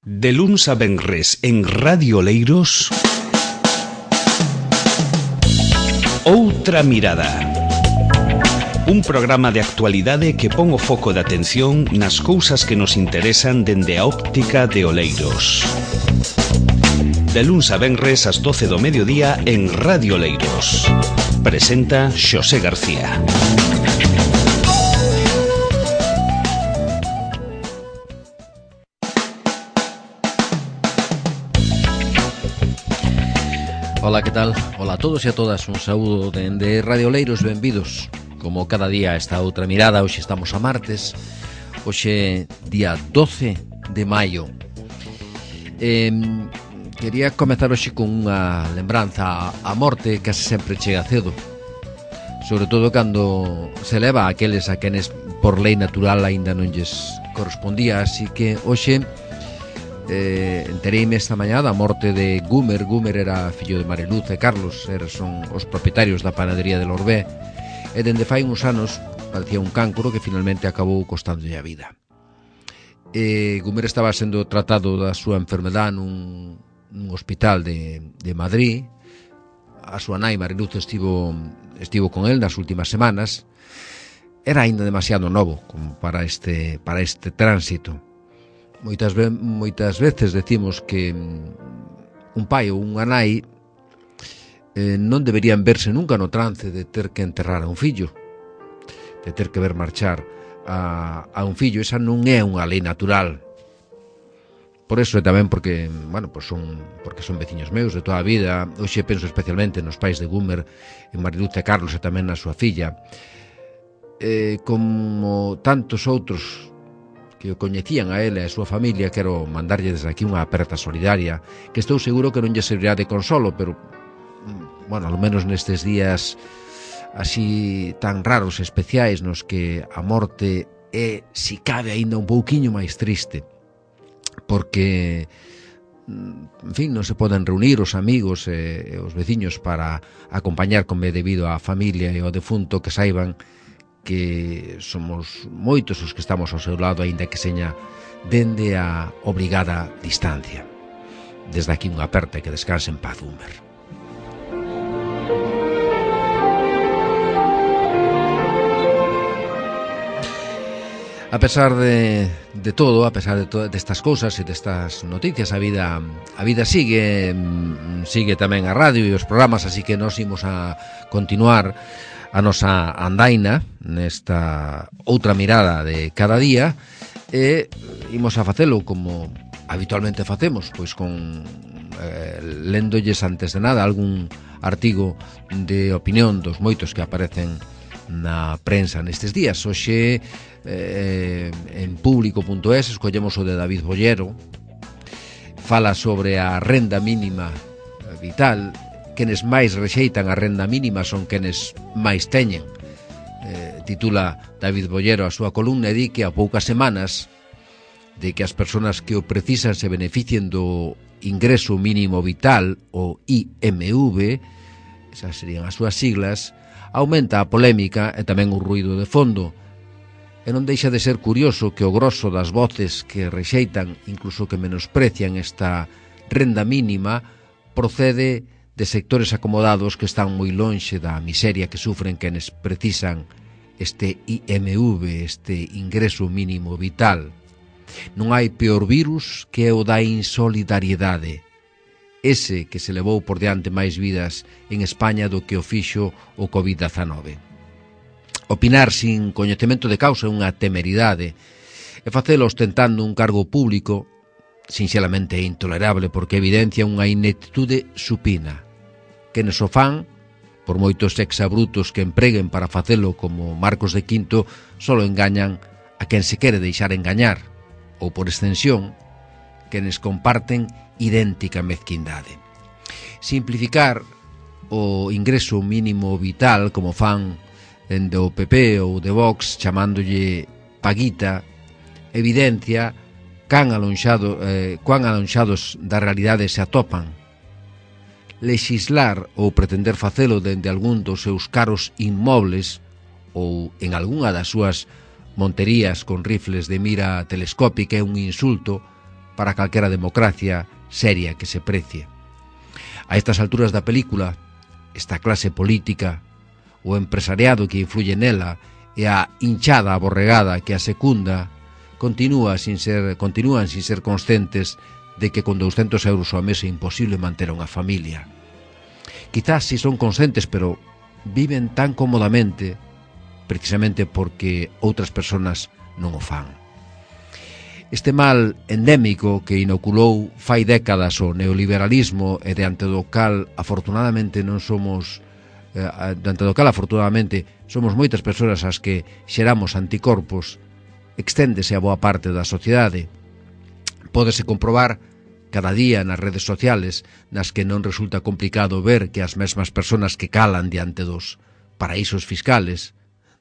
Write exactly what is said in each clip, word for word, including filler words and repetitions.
De luns a venres en Radio Oleiros, Outra Mirada. Un programa de actualidade que pon o foco de atención nas cousas que nos interesan dende a óptica de Oleiros. De luns a venres ás doce do mediodía en Radio Oleiros. Presenta Xosé García. Ola, que tal? Ola a todos e a todas, un saúdo dende Radio Oleiros, benvidos. Como cada día esta outra mirada, hoxe estamos a martes, hoxe día doce de maio. eh, Quería comezar hoxe con unha lembranza. A morte case sempre chega cedo, sobre todo cando se leva a aqueles a quenes por lei natural aínda non lles correspondía. Así que hoxe Eh, entereime esta mañá da morte de Gumer. Gumer era fillo de Mariluz e Carlos, eran son os propietarios da panadería de Lorbé, e dende fai uns anos padecía un cancro que finalmente acabou costándolle a vida. eh, Gumer estaba sendo tratado da súa enfermedade nun, nun hospital de, de Madrid. A súa nai Mariluz estivo, estivo con el nas últimas semanas. Era aínda demasiado novo como para este, para este tránsito. Moitas, ve moitas veces decimos que un pai ou unha nai eh, non deberían verse nunca no trance de ter que enterrar a un fillo, de ter que ver marchar a, a un fillo. Esa non é unha lei natural. Por eso, e tamén porque, bueno, pues son, porque son veciños meus de toda a vida. Hoxe penso especialmente nos pais de Gumer, en Mariluz e Carlos, e tamén na súa filla. Eh, como tantos outros que o coñecían a ele e a súa familia, quero mandarlle desde aquí unha aperta solidaria, que estou seguro que non lle servirá de consolo, pero, bueno, ao menos nestes días así tan raros e especiais nos que a morte é, si cabe, aínda un pouquiño máis triste, porque, en fin, non se poden reunir os amigos e os veciños para acompañar como é debido á familia e ao defunto, que saiban que somos moitos os que estamos ao seu lado, aínda que seña dende a obrigada distancia. Desde aquí unha aperta e que descanse en paz, Gumer. A pesar de, de todo, a pesar de todas estas cousas e destas noticias, a vida a vida sigue, sigue tamén a radio e os programas, así que nos imos a continuar a nosa andaina nesta outra mirada de cada día, e imos a facelo como habitualmente facemos, pois con eh, léndolles antes de nada algún artigo de opinión dos moitos que aparecen na prensa nestes días. Hoxe eh, en público punto es escollemos o de David Bollero. Fala sobre a renda mínima vital. Quenes máis rexeitan a renda mínima son quenes máis teñen. Eh, titula David Bollero a súa columna e di que a poucas semanas de que as persoas que o precisan se beneficien do ingreso mínimo vital, o I M V, esas serían as súas siglas, aumenta a polémica e tamén o ruído de fondo. E non deixa de ser curioso que o grosso das voces que rexeitan, incluso que menosprecian esta renda mínima, procede de sectores acomodados que están moi lonxe da miseria que sufren quenes precisan este I M V, este ingreso mínimo vital. Non hai peor virus que o da insolidariedade, ese que se levou por diante máis vidas en España do que o fixo o covid dezanove. Opinar sin coñecemento de causa é unha temeridade, e facelo ostentando un cargo público sinxelamente é intolerable, porque evidencia unha ineptitude supina. Quenes o fan, por moitos exabrutos que empreguen para facelo como Marcos de Quinto, solo engañan a quen se quere deixar engañar, ou por extensión, quenes comparten idéntica mezquindade. Simplificar o ingreso mínimo vital, como fan dende o P P ou de Vox, chamándolle paguita, evidencia can alonxado, eh, cuán alonxados da realidade se atopan. Lexislar ou pretender facelo dende algún dos seus caros inmobles ou en algunha das súas monterías con rifles de mira telescópica é un insulto para calquera democracia seria que se precie. A estas alturas da película, esta clase política, o empresariado que influye nela e a hinchada aborregada que a secunda continúa sin ser, continúan sin ser conscientes de que con douscentos euros ao mes é imposible manter unha familia. Quizás si son conscientes, pero viven tan cómodamente precisamente porque outras persoas non o fan. Este mal endémico que inoculou fai décadas o neoliberalismo e diante do cal afortunadamente non somos eh, diante do cal afortunadamente somos moitas persoas as que xeramos anticorpos, exténdese a boa parte da sociedade. Pódese comprobar cada día nas redes sociales nas que non resulta complicado ver que as mesmas persoas que calan diante dos paraísos fiscales,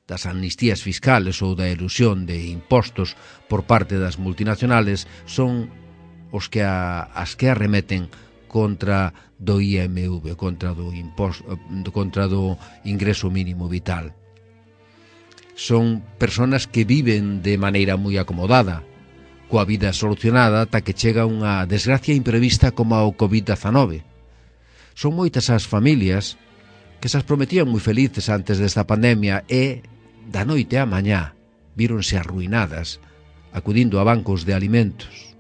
das amnistías fiscales ou da elusión de impostos por parte das multinacionales son os que a, as que arremeten contra do I M V, contra do imposto, contra do ingreso mínimo vital. Son persoas que viven de maneira moi acomodada, coa vida solucionada ata que chega unha desgracia imprevista como o covid diecinueve. Son moitas as familias que se as prometían moi felices antes desta pandemia e, da noite á mañá, víronse arruinadas acudindo a bancos de alimentos,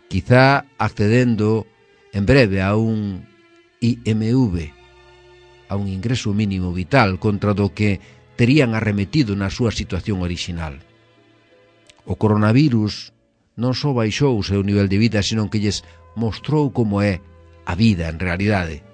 quizá accedendo en breve a un I M V, a un ingreso mínimo vital contra do que terían arremetido na súa situación orixinal. O coronavirus non só baixou o seu nivel de vida, senón que lles mostrou como é a vida en realidade.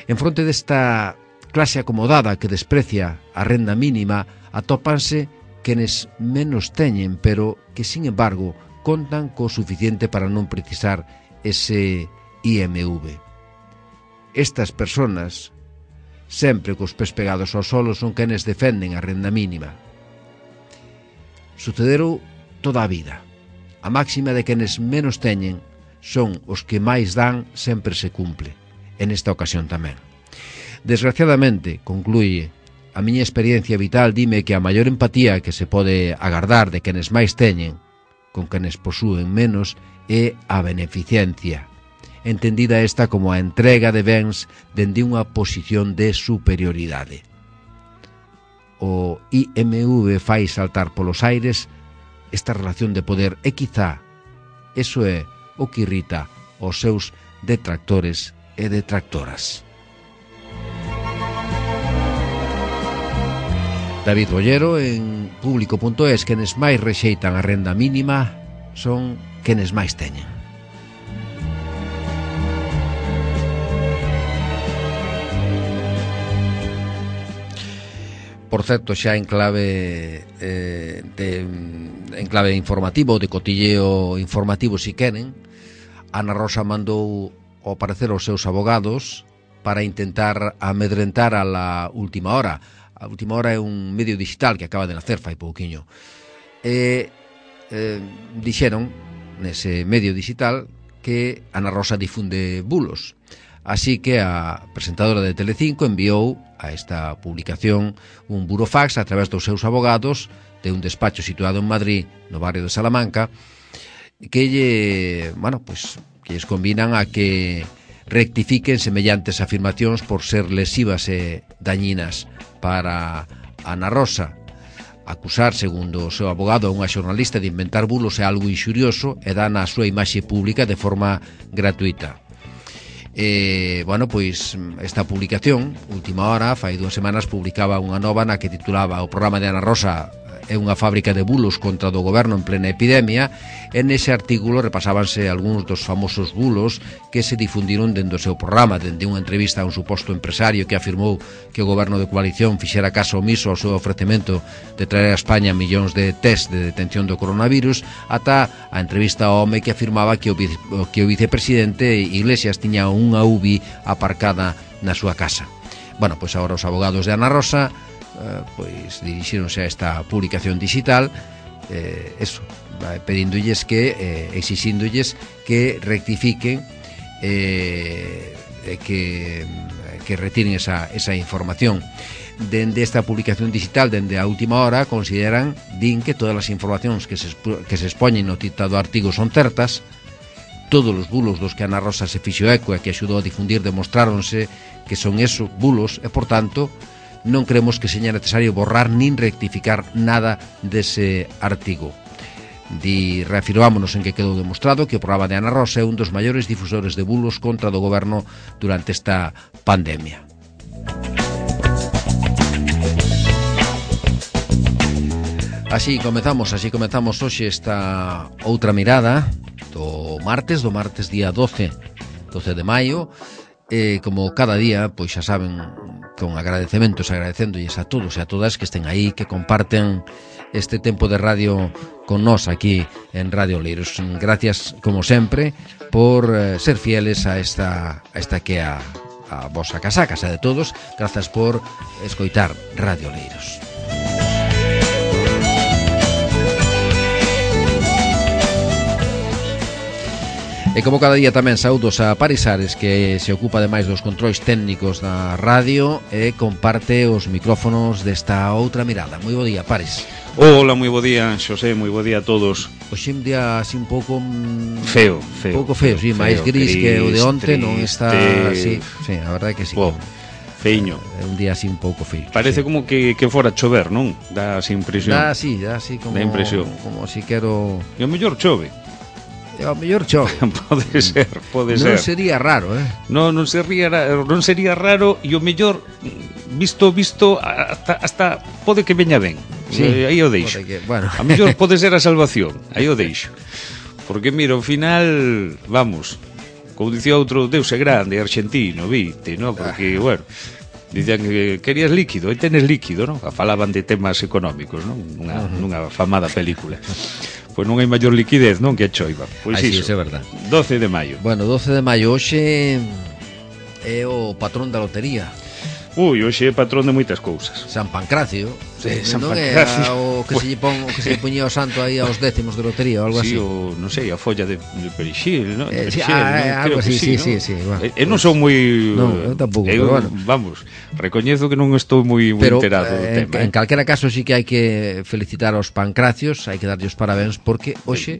En fronte desta clase acomodada que desprecia a renda mínima, atópanse quenes menos teñen, pero que, sin embargo, contan co suficiente para non precisar ese I M V. Estas persoas, sempre cos pés pegados ao solo, son quenes defenden a renda mínima. Sucederou toda a vida. A máxima de quenes menos teñen son os que máis dan sempre se cumple. En esta ocasión tamén. Desgraciadamente, concluye, a miña experiencia vital dime que a maior empatía que se pode agardar de quenes máis teñen con quenes posúen menos é a beneficencia, entendida esta como a entrega de bens dende unha posición de superioridade. O I M V fai saltar polos aires esta relación de poder e quizá eso é o que irrita os seus detractores e detractoras. David Bollero en público punto es: quenes máis rexeitan a renda mínima son quenes máis teñen. Por certo, xa en clave eh, de, en clave informativo, de cotilleo informativo, si queren, Ana Rosa mandou ao parecer aos seus abogados para intentar amedrentar a la última hora. A última hora é un medio digital que acaba de nacer fai pouquiño. E eh, dixeron nese medio digital que Ana Rosa difunde bulos. Así que a presentadora de Telecinco enviou a esta publicación un burofax a través dos seus abogados de un despacho situado en Madrid, no barrio de Salamanca, que lle, bueno, pues, que lles combinan a que rectifiquen semellantes afirmacións por ser lesivas e dañinas para Ana Rosa. Acusar, segundo o seu abogado, a unha xornalista de inventar bulos é algo inxurioso e dan a súa imaxe pública de forma gratuita. E, bueno, pois esta publicación, última hora, fai dúas semanas, publicaba unha nova na que titulaba: o programa de Ana Rosa é unha fábrica de bulos contra do goberno en plena epidemia. En ese artículo repasábanse algúns dos famosos bulos que se difundiron dende o seu programa, dende unha entrevista a un suposto empresario que afirmou que o goberno de coalición fixera caso omiso ao seu ofrecemento de traer a España millóns de test de detención do coronavirus, ata a entrevista ao home que afirmaba que o, vice, que o vicepresidente Iglesias tiña unha U B I aparcada na súa casa. Bueno, pois agora os abogados de Ana Rosa Uh, pois dirixíronse a esta publicación digital, eh, eso, pedíndolles que, eh, exixíndolles que rectifiquen, eh, que que retiren esa, esa información. Dende esta publicación digital, dende a última hora, consideran, din que todas as informacións que se, que se expoñen no citado artigo son certas. Todos os bulos dos que Ana Rosa se fixo eco e que axudou a difundir demostráronse que son esos bulos e, por tanto, non creemos que seña necesario borrar nin rectificar nada dese artigo. Di, reafirmámonos en que quedou demostrado que o programa de Ana Rosa é un dos maiores difusores de bulos contra do goberno durante esta pandemia. Así comezamos, así comezamos hoxe esta outra mirada do martes, do martes día doce de maio. Eh, como cada día, pois xa saben, con agradecementos, agradecéndolles a todos e a todas que estén aí, que comparten este tempo de radio con nós aquí en Radio Oleiros. Gracias, como sempre, por eh, ser fieles a esta, a esta que é a, a vosa casa, a casa de todos. Grazas por escoitar Radio Oleiros. E como cada día tamén saúdos a Paris Ares, que se ocupa ademais dos controis técnicos da radio e comparte os micrófonos desta outra mirada. Moi bo día, Paris. Hola, moi bo día, Xosé, moi bo día a todos. Hoxe un día así un pouco feo, feo. Un pouco feo, sí, máis gris, gris que o de onte, non está así, sí, a verdade que sí. Wow. Feiño. É un día así un pouco feo. Parece sí. como que, que fora chover, non? Dá así impresión. Dá así, dá así como dá impresión. Como si quero. E o mellor chove. E o mellor chove. Pode ser, pode non ser. Non sería raro, eh? Non, non sería raro, non sería raro e o mellor visto visto hasta hasta pode que veña ben. Sí, eh, aí o deixo. Que, bueno. A mellor pode ser a salvación. Aí o deixo. Porque mira, ao final, vamos, como dicía outro, Deus é grande, argentino, viste, ¿no? Porque, ah. bueno, dicían que querías líquido, e tenes líquido, ¿no? Falaban de temas económicos, ¿no? Nunha, uh-huh. nunha famada película. Pois non hai maior liquidez, non, que a choiva. Pois Así, iso, é verdade. doce de maio. Bueno, doce de maio, hoxe é o patrón da lotería. Ui, hoxe é patrón de moitas cousas. San Pancracio. Sí, San non Pancracio. É o que, pues... se lle pon, o que se lle poñía o santo aí aos décimos de lotería ou algo sí, así. O, non sei, a folla de, de perixil, non? Eh, sí, ah, ¿no? algo así, sí, sí, sí, sí, bueno, Eu non son moi... Non, eu tampouco, eu, pero bueno. Vamos, recoñezo que non estou moi, moi pero, enterado do eh, tema. En, en calquera caso sí que hai que felicitar aos pancracios, hai que darlle os parabéns porque hoxe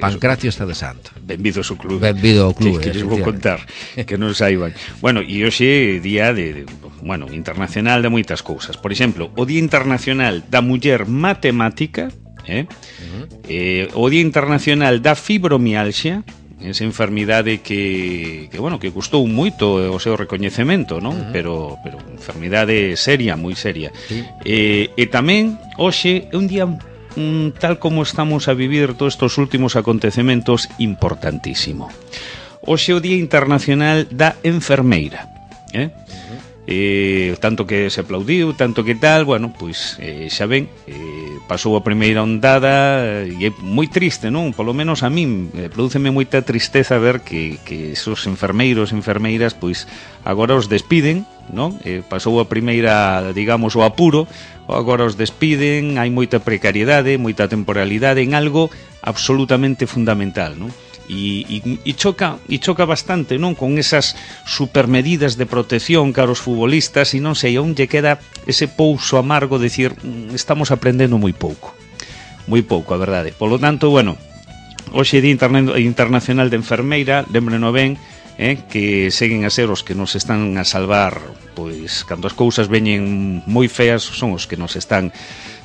Pancracio está de santo. Benvido ao clube. Benvido ao clube. Que, que lles vou contar, que non saiban. Bueno, e hoxe é día de, de, bueno, internacional de moitas cousas. Por exemplo, o Día Internacional da Muller Matemática, eh? Uh-huh. eh, o Día Internacional da Fibromialgia, esa enfermidade que, que bueno, que custou moito o seu recoñecemento, non? Uh-huh. Pero pero enfermidade seria, moi seria. Sí. Eh, e tamén hoxe é un día Mm, tal como estamos a vivir todos estes últimos acontecementos, importantísimo. Hoxe é o Día Internacional da Enfermeira, eh? Uh-huh. eh, tanto que se aplaudiu, tanto que tal, bueno, pois eh, xa ven, eh, pasou a primeira ondada e é moi triste, non? Polo menos a min eh, prodúceme moita tristeza ver que, que esos enfermeiros, enfermeiras, pois agora os despiden, non? Eh, pasou a primeira, digamos, o apuro, agora os despiden, hai moita precariedade, moita temporalidade en algo absolutamente fundamental, non? E, e, e choca e choca bastante, non, con esas supermedidas de protección cara aos futbolistas e non sei, onde queda ese pouso amargo de decir, estamos aprendendo moi pouco. Moi pouco, a verdade. Polo tanto, bueno, hoxe é Día Internacional de Enfermeira, lembreno ben, Eh, que seguen a ser os que nos están a salvar, pois, cando as cousas veñen moi feas, son os que nos están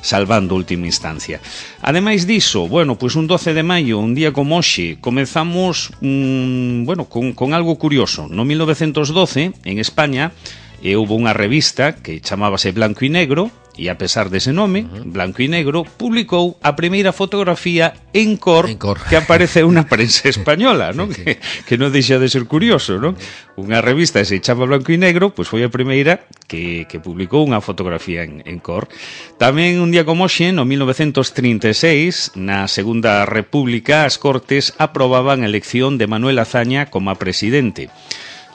salvando a última instancia. Ademais diso, bueno, pois un doce de maio, un día como hoxe, comezamos mm, bueno, con, con algo curioso. No mil novecentos doce, en España, eh, houve unha revista que chamábase Blanco y Negro, e a pesar dese nome, uh-huh. Blanco y Negro, publicou a primeira fotografía en cor, en cor. que aparece unha prensa española, non? Sí, sí. Que, que non deixa de ser curioso, non? Unha revista que se chama Blanco y Negro, pois foi a primeira que, que publicou unha fotografía en, en cor. Tamén un día como hoxe, no mil novecentos trinta e seis, na Segunda República, as Cortes aprobaban a elección de Manuel Azaña como a presidente.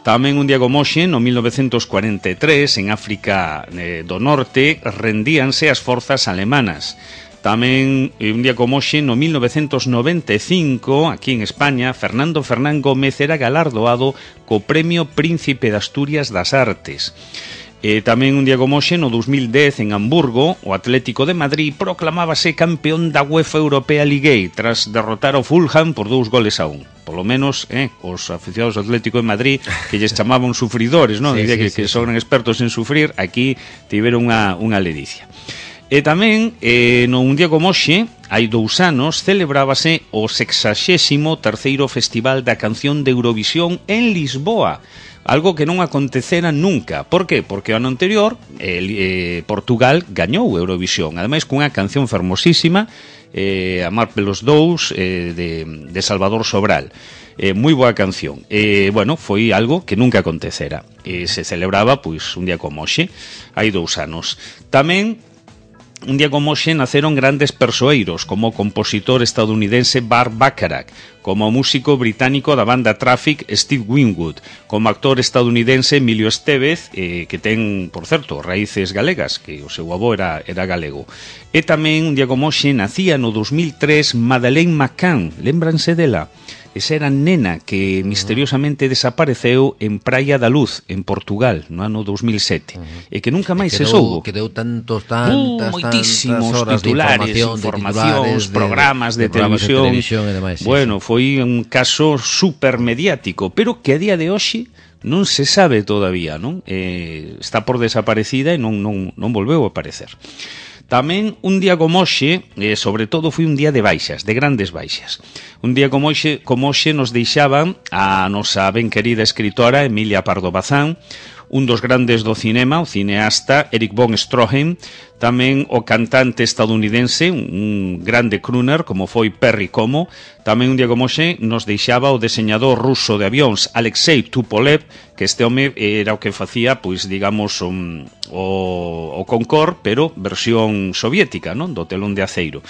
Tamén un día como hoxe, no mil novecentos cuarenta e tres, en África eh, do Norte, rendíanse as forzas alemanas. Tamén un día como hoxe, no mil novecentos noventa e cinco, aquí en España, Fernando Fernán Gómez era galardoado co Premio Príncipe de Asturias das Artes. E tamén un día como hoxe, no dos mil dez, en Hamburgo, o Atlético de Madrid proclamábase campeón da UEFA Europea League tras derrotar ao Fulham por dous goles a un. Polo menos, eh, os aficionados do Atlético de Madrid, que lles chamaban sufridores, non? Sí, Dicía sí, que, sí, que sí. son expertos en sufrir, aquí tiveron unha, unha ledicia. E tamén, eh, no un día como hoxe, hai dous anos, celebrábase o sexaxésimo terceiro Festival da Canción de Eurovisión en Lisboa. Algo que non acontecera nunca. Por qué? Porque o ano anterior eh, eh, Portugal gañou Eurovisión, ademais cunha canción fermosísima, eh, Amar pelos dous, eh, de, de Salvador Sobral. Eh, moi boa canción. Eh, bueno, foi algo que nunca acontecera. E se celebraba, pois, un día como hoxe, hai dous anos. Tamén, un día como hoxe, naceron grandes persoeiros, como o compositor estadounidense Burt Bacharach, como o músico británico da banda Traffic Steve Winwood, como actor estadounidense Emilio Estevez, eh, que ten, por certo, raíces galegas, que o seu avó era, era galego. E tamén, un día como hoxe, nacía no dos mil tres Madeleine McCann, lembranse dela? Esa era nena que misteriosamente desapareceu en Praia da Luz, en Portugal, no ano dos mil sete, uh-huh. e que nunca máis se soubo. Que deu tantos, tantas, uh, moitísimos tantas horas titulares, de información, informacións, de, programas de, de, de televisión, de televisión e demais. Bueno, sí, foi un caso super mediático, pero que a día de hoxe non se sabe todavía, non? Eh, está por desaparecida e non, non, non volveu a aparecer. Tamén un día como hoxe, eh, sobre todo foi un día de baixas, de grandes baixas. Un día como hoxe, como hoxe nos deixaban a nosa ben querida escritora Emilia Pardo Bazán, un dos grandes do cinema, o cineasta Erich von Stroheim, tamén o cantante estadounidense, un grande crooner como foi Perry Como, tamén un día como hoxe nos deixaba o deseñador ruso de avións Alexei Tupolev, que este home era o que facía, pois digamos, um, o, o Concorde, pero versión soviética, non? Do telón de aceiro.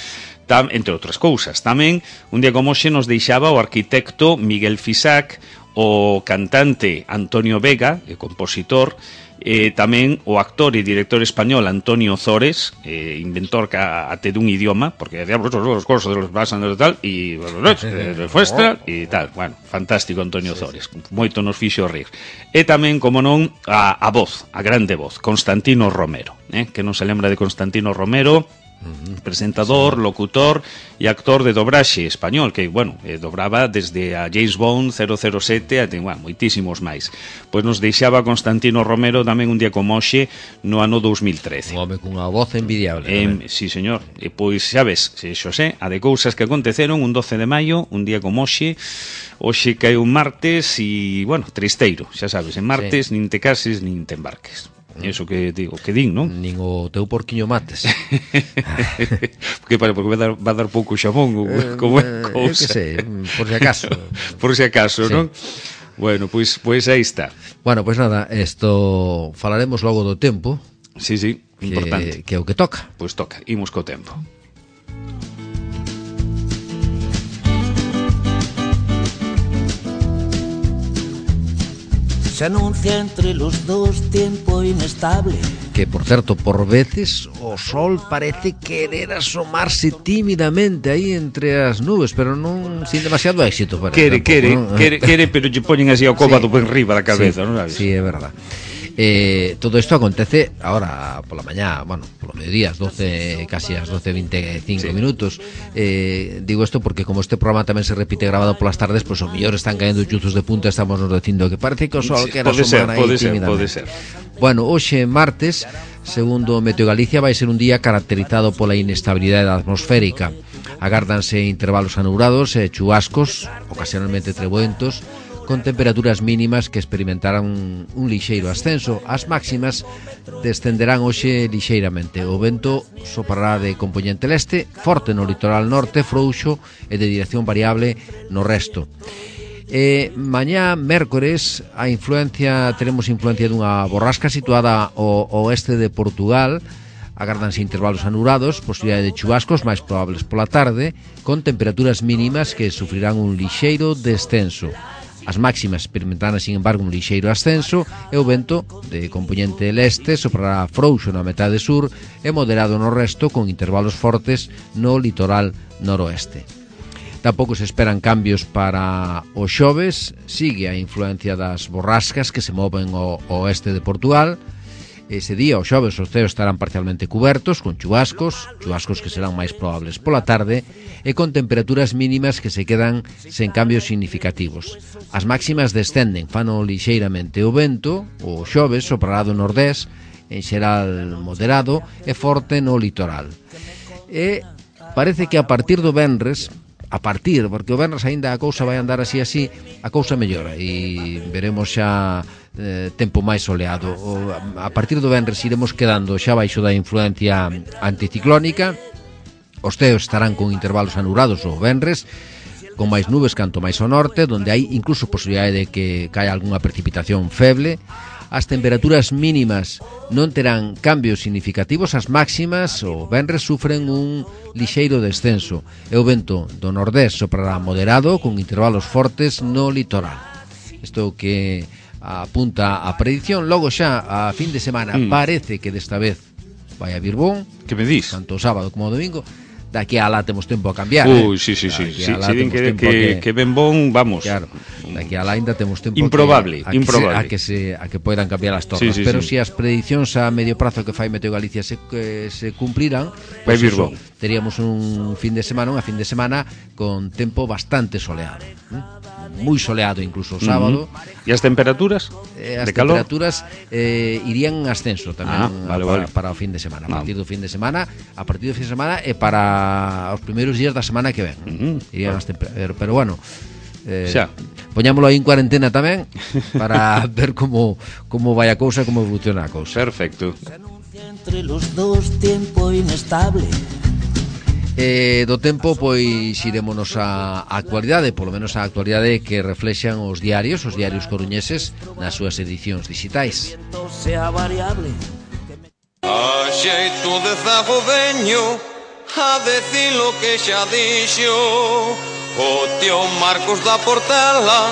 Tam, entre outras cousas. Tamén un día como hoxe nos deixaba o arquitecto Miguel Fisac, o cantante Antonio Vega, e compositor, eh, tamén o actor e director español Antonio Zores, eh, inventor até dun idioma, porque decía, pues, os cosas de los basan de tal, e de fuestra, e tal. Bueno, fantástico Antonio Zores, moito nos fixo rir. E tamén, como non, a, a voz, a grande voz, Constantino Romero, eh, que non se lembra de Constantino Romero, presentador, locutor e actor de dobraxe español, que, bueno, eh, dobraba desde a James Bond, cero cero sete até, bueno, moitísimos máis. Pois nos deixaba Constantino Romero tamén un día como hoxe no ano dos mil trece. Un home cunha voz envidiable. Eh, sí, señor. E pois, xa ves, se xosé, a de cousas que aconteceron un doce de maio, un día como hoxe, hoxe cae un martes e, bueno, tristeiro, xa sabes, en martes sí. Nin te cases, nin te embarques. Eso que digo, que din, non? Nin o teu porquiño mates. Porque, para, porque va a dar, va a dar pouco xamón ou eh, como é cousa. Eu que sei, por si acaso. Por si acaso, sí. Non? Bueno, pois pues, pues aí está. Bueno, pois pues nada, esto falaremos logo do tempo. Sí, sí, importante. Que, que é o que toca. Pois pues toca, imos co tempo. Se anuncia entre los dos tiempo inestable. Que, por certo, por veces o sol parece querer asomarse tímidamente aí entre as nubes, pero non sin demasiado éxito. Para quere, tampouco, quere, ¿no? quere, quere, pero lle poñen así ao cóbado sí. Ben riba da cabeza, sí, non sabes? Sí, é verdad. Eh, todo isto acontece ahora pola mañá, bueno, polo mediodía, as doce, casi as doce e veinticinco sí. minutos. Eh, digo isto porque como este programa tamén se repite grabado polas tardes, pois pues, o mellor están caendo chuzos de punta, estamos nos dicindo que parece que o sol sí, que era semana aí pode ser, pode ser. Bueno, hoxe martes, segundo Meteo Galicia, vai ser un día caracterizado pola inestabilidade atmosférica. Agárdanse intervalos anubrados e chubascos, ocasionalmente treboentos, con temperaturas mínimas que experimentarán un, un lixeiro ascenso. As máximas descenderán hoxe lixeiramente. O vento soprará de compoñente leste, forte no litoral norte, frouxo e de dirección variable no resto. E mañá, mércores, a influencia teremos influencia dunha borrasca situada ao oeste de Portugal. Agárdanse intervalos anubrados, posibilidade de chubascos máis probables pola tarde, con temperaturas mínimas que sufrirán un lixeiro descenso. As máximas experimentarán, sin embargo, un lixeiro ascenso e o vento de componente leste soprará frouxo na metade sur e moderado no resto, con intervalos fortes no litoral noroeste. Tampouco se esperan cambios para os xoves, sigue a influencia das borrascas que se moven ao oeste de Portugal. Ese día, os xoves, os ceos estarán parcialmente cubertos, con chubascos, chubascos que serán máis probables pola tarde, e con temperaturas mínimas que se quedan sen cambios significativos. As máximas descenden, fano lixeiramente o vento, o xoves soprará do nordés, en xeral moderado, e forte no litoral. E parece que a partir do venres, a partir, porque o venres aínda a cousa vai andar así así, a cousa mellora e veremos xa eh, tempo máis soleado. O, a partir do venres iremos quedando xa baixo da influencia anticiclónica. Os ceos estarán con intervalos anurados o venres, con máis nubes canto máis ao norte, donde hai incluso posibilidade de que caia algunha precipitación feble. As temperaturas mínimas non terán cambios significativos, as máximas o venres sufren un lixeiro descenso e o vento do nordés soprará moderado con intervalos fortes no litoral. Isto que apunta a predición. Logo xa a fin de semana mm. parece que desta vez vai a vir bon. Que me dis? Tanto o sábado como o domingo. Daqui a lá temos tempo a cambiar. Uy, eh? sí, sí, sí. Si sí, sí, que, que, que, que ben bon, vamos. Claro, daqui a lá ainda temos tempo improbable, que, a, improbable. Que se, a, que se, a que poidan cambiar as tornas. Sí, sí, pero sí. si as predicións a medio prazo que fai Meteo Galicia se, que se cumplirán, vai pues vir eso, bon. Teríamos un fin de semana, unha fin de semana con tempo bastante soleado. ¿eh? Moi soleado incluso o sábado. Uh-huh. E as temperaturas? Eh, as de calor? temperaturas eh, irían en ascenso tamén ah, vale, para, vale. para o fin de semana. A No. partir do fin de semana, a partir do fin de semana e para os primeiros días da semana que ven. Uh-huh. Irían as temperaturas, pero bueno, eh, xa. Poñámolo aí en cuarentena tamén para ver como como vai a cousa, como evoluciona a cousa. Perfecto. Entre los dos tiempo inestable. Eh, do tempo, pois irémonos a actualidade, polo menos a actualidade que reflexan os diarios, os diarios coruñeses nas súas edicións digitais. Sea variable. A xeito de zago veño a decir lo que xa dixo o tío Marcos da Portela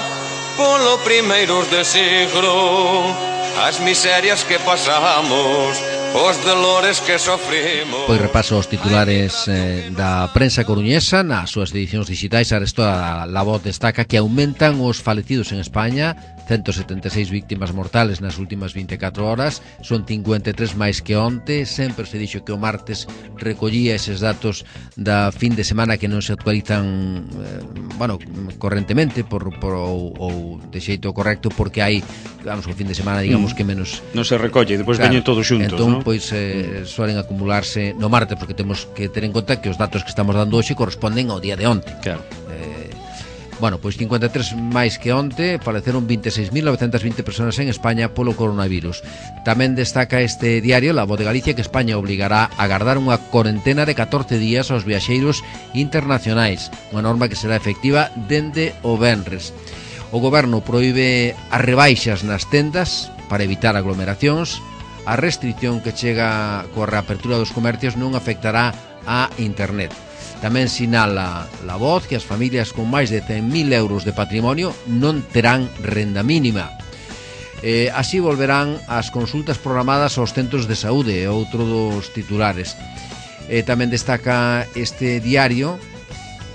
polo primeiros de siglo, as miserias que pasamos, os dolores que sofrimos. Pois repaso os titulares eh, da prensa coruñesa nas súas edicións digitais. Aresto a La Voz destaca que aumentan os falecidos en España, ciento setenta e seis víctimas mortales nas últimas vinte e catro horas, son cincuenta e tres máis que onte. Sempre se dixo que o martes recollía eses datos da fin de semana que non se actualizan eh, bueno, correntemente por, por, ou, ou de xeito correcto, porque hai, vamos, o fin de semana digamos que menos non se recolle, depois claro, veñen todos xuntos, entón, ¿no? pois eh, suelen acumularse no martes, porque temos que ter en conta que os datos que estamos dando hoxe corresponden ao día de onte. Claro. Eh, bueno, pois cincuenta e tres máis que onte, faleceron vinte e seis mil novecentas vinte persoas en España polo coronavirus. Tamén destaca este diario, La Voz de Galicia, que España obligará a agardar unha corentena de catorce días aos viaxeiros internacionais, unha norma que será efectiva dende o venres. O goberno proíbe as rebaixas nas tendas para evitar aglomeracións. A restricción que chega coa reapertura dos comercios non afectará a internet. Tamén sinala La Voz que as familias con máis de cen mil euros de patrimonio non terán renda mínima. Eh, así volverán as consultas programadas aos centros de saúde, outro dos titulares. Eh, tamén destaca este diario,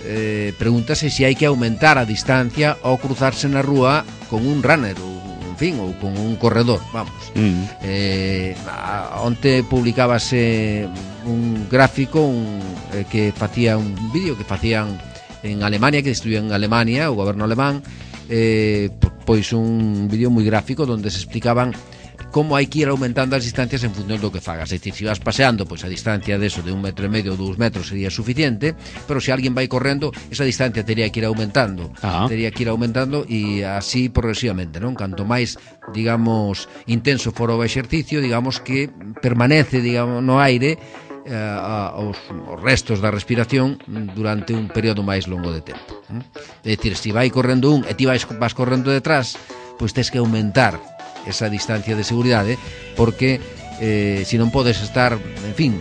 eh, pregúntase se hai que aumentar a distancia ao cruzarse na rúa con un runner ou, en fin, ou con un corredor, vamos. Mm. Eh, onte publicábase un gráfico un, eh, que facía un vídeo que facían en Alemania, que estudian en Alemania, o goberno alemán, eh, pois un vídeo moi gráfico onde se explicaban como hai que ir aumentando as distancias en función do que fagas. É dicir, se vas paseando, pois a distancia deso de un metro e medio ou dous metros sería suficiente, pero se alguén vai correndo, esa distancia teria que ir aumentando. Ah. Teria que ir aumentando e así progresivamente, non? Canto máis, digamos, intenso fora o exercicio, digamos que permanece, digamos, no aire eh, a, os, os restos da respiración durante un período máis longo de tempo. É dicir, se vai correndo un e ti vais, vas correndo detrás, pois tes que aumentar esa distancia de seguridade, porque eh, se non podes estar, en fin,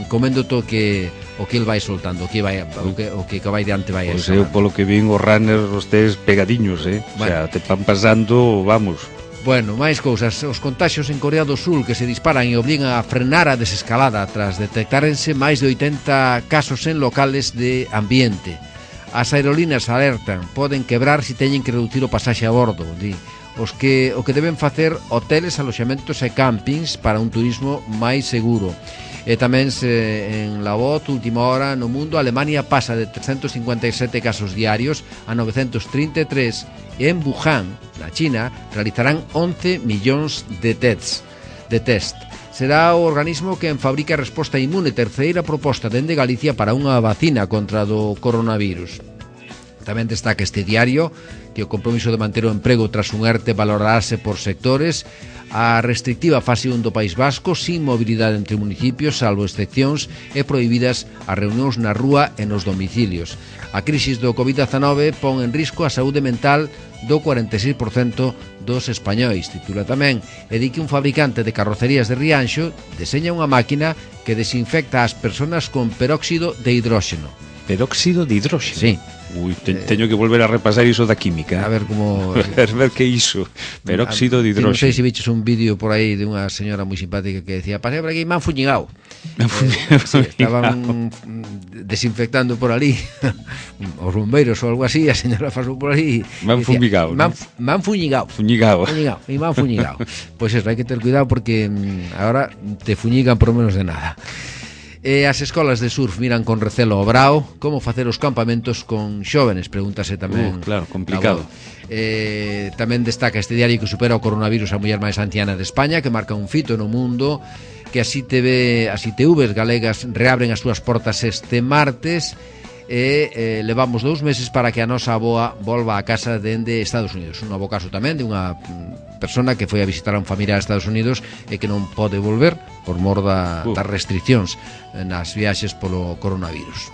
comendo to que o que el vai soltando, o que vai o que o que vai diante vai. Pois eu polo que vin os runners os tes pegadiños, eh. Bueno. O sea, te van pasando, vamos. Bueno, máis cousas. Os contaxios en Corea do Sul que se disparan e obligan a frenar a desescalada tras detectárense máis de oitenta casos en locales de ambiente. As aerolíneas alertan, poden quebrar se teñen que reducir o pasaxe a bordo, di. Os que o que deben facer hoteles, aloxamentos e campings para un turismo máis seguro. E tamén se, en la voz, última hora, no mundo, Alemania pasa de trescentos cincuenta e sete casos diarios a novecentos trinta e tres e en Wuhan, na China, realizarán once millóns de tests. De test. Será o organismo que fabrica a resposta inmune, terceira proposta dende Galicia para unha vacina contra do coronavirus. Tamén destaca este diario que o compromiso de manter o emprego tras un ERTE valorarase por sectores, a restrictiva fase un do País Vasco sin mobilidade entre municipios, salvo excepcións, e prohibidas as reunións na rúa e nos domicilios. A crisis do covid dezanove pon en risco a saúde mental do cuarenta e seis por cento dos españois, titula tamén, e di que un fabricante de carrocerías de Rianxo deseña unha máquina que desinfecta as persoas con peróxido de hidróxeno. Peróxido de hidróxeno? Sí. Ui, te, eh, teño que volver a repasar iso da química. A ver como... a ver, ver que iso. Peróxido de hidróxeno. Non sei se viches un vídeo por aí de unha señora moi simpática que decía, pasei por aquí, me han fuñigado. Eh, sí, estaban desinfectando por ali os bombeiros ou algo así, a señora pasou por aí. Me han fumigado. Me han fuñigado. Fuñigado. Fuñigado. E me han fuñigado. Pois eso, hai que ter cuidado porque agora te fuñigan por menos de nada. E as escolas de surf miran con recelo o Brao. Como facer os campamentos con xóvenes? Pregúntase tamén. Uh, claro, complicado. Eh, tamén destaca este diario que supera o coronavirus a muller máis anciana de España, que marca un fito no mundo, que as I T V, as I T Vs galegas reabren as súas portas este martes e eh, levamos dous meses para que a nosa avoa volva a casa dende Estados Unidos. Un novo caso tamén de unha persona que foi a visitar a un familiar a Estados Unidos e que non pode volver por mor da, uh. das restriccións nas viaxes polo coronavirus.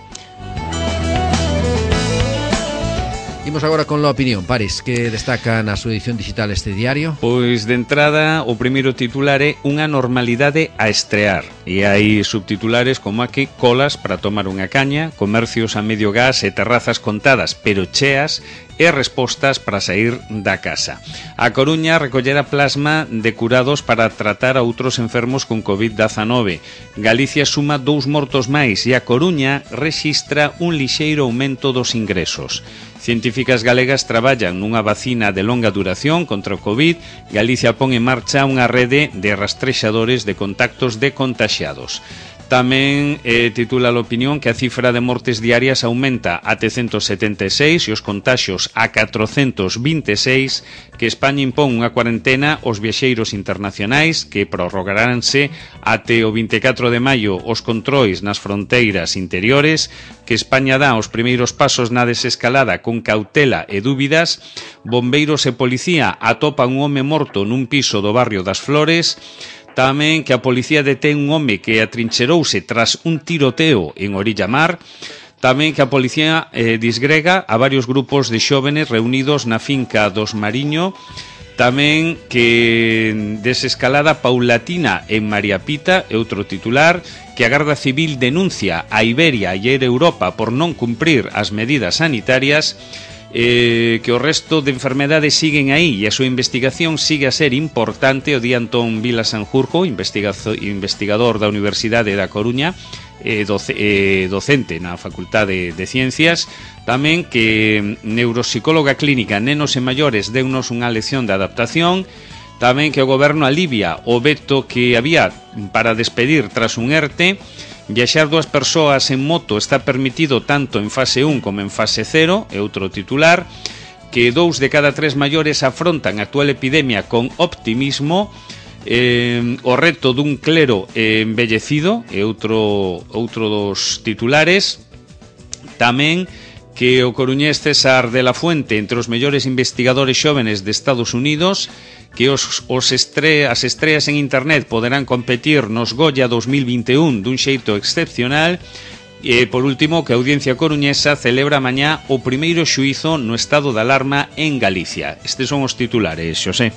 Imos agora con la opinión. Paris, que destaca na súa edición digital este diario? Pois de entrada o primeiro titular é unha normalidade a estrear. E hai subtitulares como aquí: colas para tomar unha caña, comercios a medio gas e terrazas contadas pero cheas, e respostas para sair da casa. A Coruña recollera plasma de curados para tratar a outros enfermos con covid dezanove. Galicia suma dous mortos máis e a Coruña rexistra un lixeiro aumento dos ingresos. Científicas galegas traballan nunha vacina de longa duración contra o Covid. Galicia pon en marcha unha rede de rastrexadores de contactos de contaxiados. Tamén eh, titula a opinión que a cifra de mortes diarias aumenta a trescentos setenta e seis e os contaxios a catrocentos vinte e seis, que España impón unha cuarentena aos viaxeiros internacionais que prorrogaránse até o vinte e catro de maio os controis nas fronteiras interiores, que España dá os primeiros pasos na desescalada con cautela e dúbidas, bombeiros e policía atopan un home morto nun piso do barrio das Flores. Tamén que a policía detén un home que atrincherouse tras un tiroteo en Orilla Mar. Tamén que a policía eh, disgrega a varios grupos de xóvenes reunidos na finca dos Mariño. Tamén que desescalada paulatina en María Pita, é outro titular, que a Garda Civil denuncia a Iberia e a Air Europa por non cumprir as medidas sanitarias. Eh, que o resto de enfermedades siguen aí e a súa investigación sigue a ser importante. O di Antón Vila Sanjurjo, investigador da Universidade da Coruña, eh, doce, eh, docente na Facultade de Ciencias. Tamén que neuropsicóloga clínica nenos e maiores deunos unha lección de adaptación. Tamén que o goberno alivia o veto que había para despedir tras un ERTE. Viaxar dúas persoas en moto está permitido tanto en fase un como en fase cero, é outro titular. Que dous de cada tres maiores afrontan a actual epidemia con optimismo. Eh, o reto dun clero embellecido, é outro, outro dos titulares. Tamén que o coruñés César de la Fuente, entre os mellores investigadores xóvenes de Estados Unidos, que os, os estre, as estreas en internet poderán competir nos Goya dos mil vinte e un dun xeito excepcional. E, por último, que a Audiencia Coruñesa celebra mañá o primeiro xuízo no estado de alarma en Galicia. Estes son os titulares, Xosé.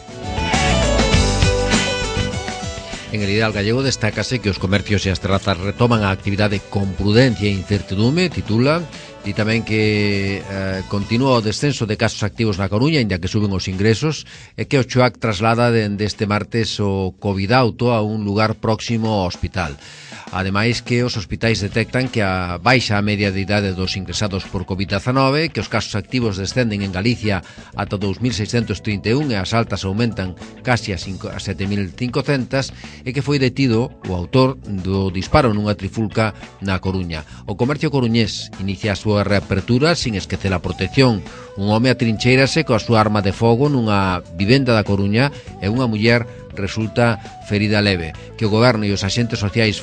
En el ideal gallego destácase que os comercios e as terrazas retoman a actividade con prudencia e incertidume, titula. E tamén que eh, continúa o descenso de casos activos na Coruña, inda que suben os ingresos, e que o Choac traslada dende este martes o COVID auto a un lugar próximo ao hospital. Ademais que os hospitais detectan que a baixa a media de idade dos ingresados por COVID diecinueve, que os casos activos descenden en Galicia ata dous mil seiscentos trinta e un e as altas aumentan casi a sete mil cincocentas, e que foi detido o autor do disparo nunha trifulca na Coruña. O comercio coruñés inicia a súa reapertura sin esquecer a protección. Un home atrincheirase coa súa arma de fogo nunha vivenda da Coruña e unha muller resulta ferida leve. Que o goberno e os axentes sociais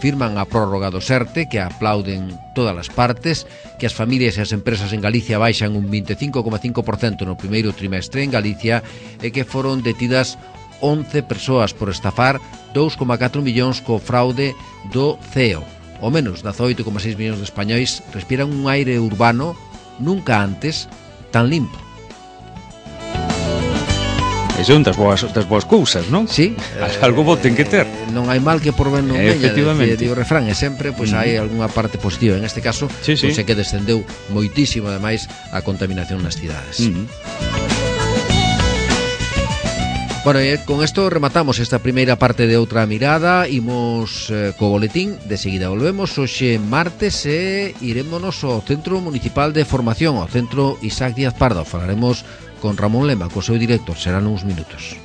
firman a prórroga do SERTE, que aplauden todas as partes, que as familias e as empresas en Galicia baixan un veinticinco coma cinco por cento no primeiro trimestre en Galicia, e que foron detidas once persoas por estafar dous coma catro millóns co fraude do C E O. O menos dezaoito coma seis millóns de españois respiran un aire urbano nunca antes tan limpo. E son das boas, das boas cousas, non? Sí. Algo bo ten que ter. Non hai mal que por ben non veña, efectivamente. Digo, refrán, e sempre pois, hai algunha parte positiva. En este caso, sí, sí. Pois, é que descendeu moitísimo, ademais, a contaminación nas cidades. Uh-huh. Bueno, e con isto rematamos esta primeira parte de Outra Mirada. Imos eh, co boletín, de seguida volvemos hoxe martes e irémonos ao Centro Municipal de Formación, ao Centro Isaac Díaz Pardo. Falaremos con Ramón Lema, co seu director, serán uns minutos.